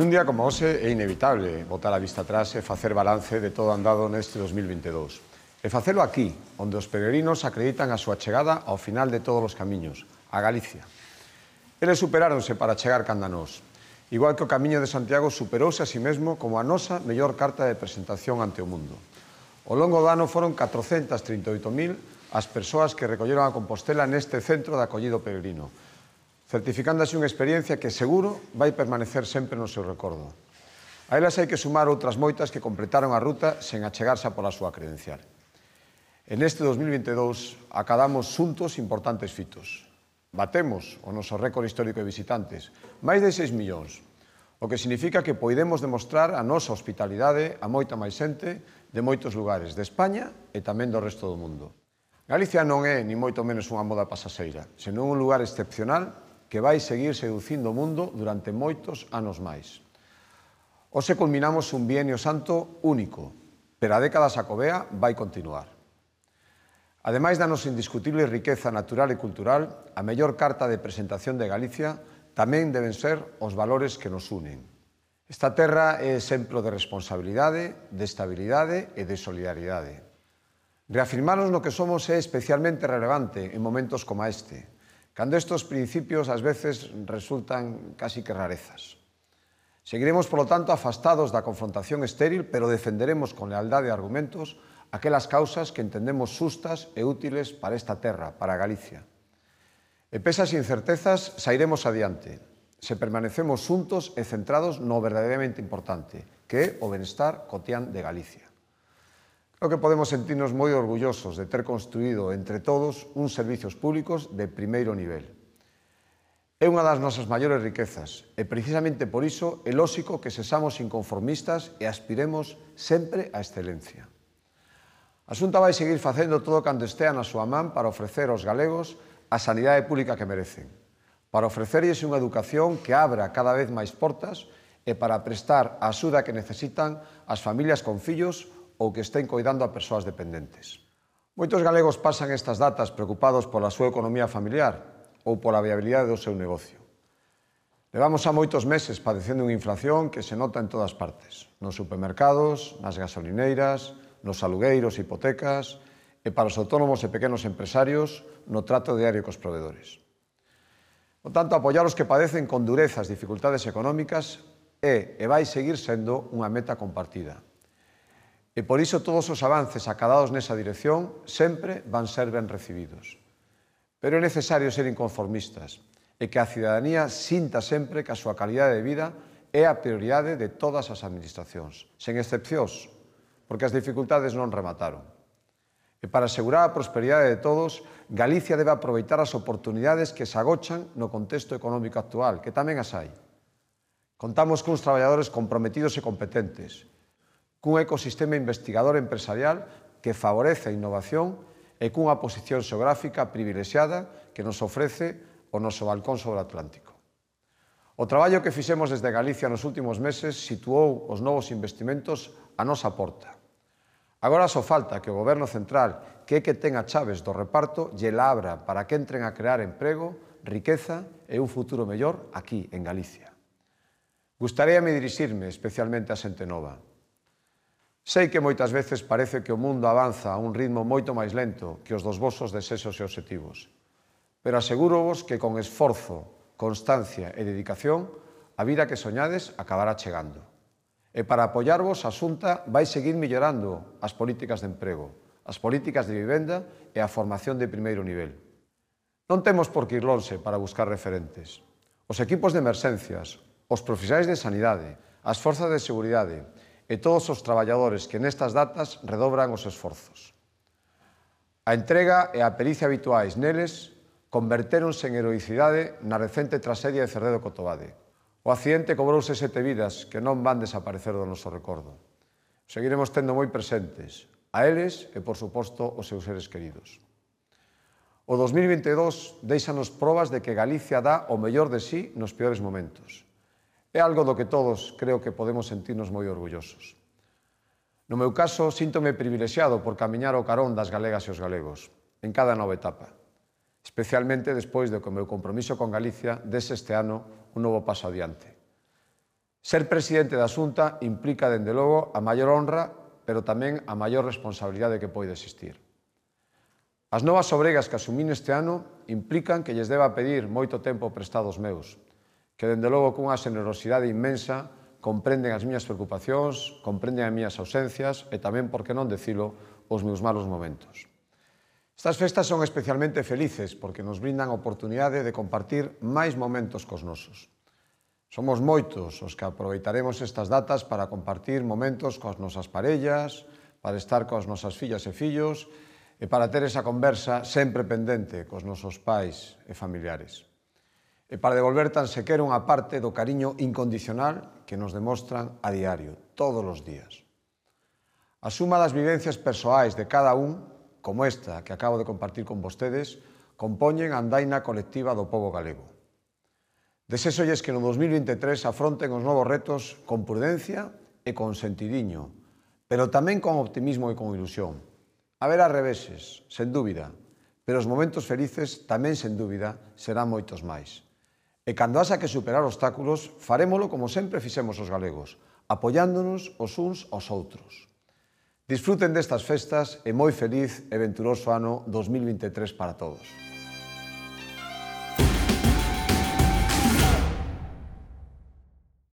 Nun día como hoxe é inevitable botar a vista atrás e facer balance de todo andado neste 2022. E facelo aquí, onde os peregrinos acreditan a súa chegada ao final de todos os camiños, a Galicia. Eles superáronse para chegar canda nós, igual que o Camiño de Santiago superouse a si mesmo como a nosa mellor carta de presentación ante o mundo. Ao longo do ano foron 438.000 as persoas que recolleron a Compostela neste centro de acollido peregrino, certificándose unha experiencia que seguro vai permanecer sempre no seu recordo. A elas hai que sumar outras moitas que completaron a ruta sen achegarse pola súa credencial. En este 2022 acadamos xuntos importantes fitos. Batemos o noso récord histórico de visitantes, máis de 6 millóns, o que significa que poidemos demostrar a nosa hospitalidade a moita máis xente de moitos lugares de España e tamén do resto do mundo. Galicia non é, ni moito menos, unha moda pasaseira, senón un lugar excepcional que vai seguir seducindo o mundo durante moitos anos máis. Hoxe culminamos un bienio santo único, pero a década xacobea vai continuar. Ademais da nosa indiscutible riqueza natural e cultural, a mellor carta de presentación de Galicia tamén deben ser os valores que nos unen. Esta terra é exemplo de responsabilidade, de estabilidade e de solidaridade. Reafirmarnos no que somos é especialmente relevante en momentos como este, cando estes principios ás veces resultan casi que rarezas. Seguiremos, polo tanto, afastados da confrontación estéril, pero defenderemos con lealdade e argumentos aquelas causas que entendemos xustas e útiles para esta terra, para Galicia. E pesas e incertezas, sairemos adiante, se permanecemos xuntos e centrados no verdadeiramente importante, que é o benestar cotián de Galicia. Creo que podemos sentirnos moi orgullosos de ter construído entre todos uns servizos públicos de primeiro nivel. É unha das nosas maiores riquezas e precisamente por iso é lóxico que sexamos inconformistas e aspiremos sempre á excelencia. A Xunta vai seguir facendo todo cando estea na súa man para ofrecer aos galegos a sanidade pública que merecen, para ofrecerlles unha educación que abra cada vez máis portas e para prestar a axuda que necesitan as familias con fillos ou que estén coidando a persoas dependentes. Moitos galegos pasan estas datas preocupados pola súa economía familiar ou pola viabilidade do seu negocio. Levamos a moitos meses padecendo unha inflación que se nota en todas partes, nos supermercados, nas gasolineiras, nos alugueiros e hipotecas, e para os autónomos e pequenos empresarios no trato diario cos provedores. Por tanto, apoiar os que padecen con dureza as dificultades económicas é e vai seguir sendo unha meta compartida. E por iso todos os avances acadados nesa dirección sempre van ser ben recibidos. Pero é necesario ser inconformistas e que a cidadanía sinta sempre que a súa calidade de vida é a prioridade de todas as administracións, sen excepcións, porque as dificultades non remataron. E para asegurar a prosperidade de todos, Galicia debe aproveitar as oportunidades que se agochan no contexto económico actual, que tamén as hai. Contamos cuns traballadores comprometidos e competentes, cun ecosistema investigador empresarial que favorece a innovación e cunha posición xeográfica privilexiada que nos ofrece o noso balcón sobre o Atlántico. O traballo que fixemos desde Galicia nos últimos meses situou os novos investimentos á nosa porta. Agora só falta que o Goberno central, que é que ten as chaves do reparto, lle la abra para que entren a crear emprego, riqueza e un futuro mellor aquí, en Galicia. Gustaríame dirixirme especialmente a xente nova. Sei que moitas veces parece que o mundo avanza a un ritmo moito máis lento que os dos vosos desexos e obxectivos, pero asegúrovos que con esforzo, constancia e dedicación a vida que soñades acabará chegando. E para apoiarvos, a Xunta vai seguir mellorando as políticas de emprego, as políticas de vivenda e a formación de primeiro nivel. Non temos por que ir lonxe para buscar referentes. Os equipos de emerxencias, os profesionais de sanidade, as forzas de seguridade e todos os traballadores que nestas datas redobran os esforzos. A entrega e a pericia habituais neles convertéronse en heroicidade na recente traxedia de Cerredo Cotobade. O accidente cobrouse 7 vidas que non van desaparecer do noso recordo. Seguiremos tendo moi presentes a eles e, por suposto, os seus seres queridos. O 2022 déixanos probas de que Galicia dá o mellor de sí nos peores momentos. É algo do que todos creo que podemos sentirnos moi orgullosos. No meu caso, síntome privilexiado por camiñar ao carón das galegas e os galegos, en cada nova etapa, especialmente despois de que o meu compromiso con Galicia dese este ano un novo paso adiante. Ser presidente da Xunta implica, dende logo, a maior honra, pero tamén a maior responsabilidade que pode existir. As novas obregas que asumín este ano implican que lles deba pedir moito tempo prestado aos meus, que, dende logo, cunha xenerosidade inmensa, comprenden as miñas preocupacións, comprenden as miñas ausencias e tamén, por que non decilo, os meus malos momentos. Estas festas son especialmente felices porque nos brindan a oportunidade de compartir máis momentos cos nosos. Somos moitos os que aproveitaremos estas datas para compartir momentos coas nosas parellas, para estar coas nosas fillas e fillos e para ter esa conversa sempre pendente cos nosos pais e familiares. E para devolver tan sequera unha parte do cariño incondicional que nos demostran a diario, todos os días. A suma das vivencias persoais de cada un, como esta que acabo de compartir con vostedes, compoñen a andaina colectiva do pobo galego. Desexolles que no 2023 afronten os novos retos con prudencia e con sentidiño, pero tamén con optimismo e con ilusión. Haberá reveses, sen dúbida, pero os momentos felices tamén, sen dúbida, serán moitos máis. E cando haxa que superar obstáculos, farémolo como sempre fixemos os galegos, apoiándonos os uns aos outros. Disfruten destas festas e moi feliz e venturoso ano 2023 para todos.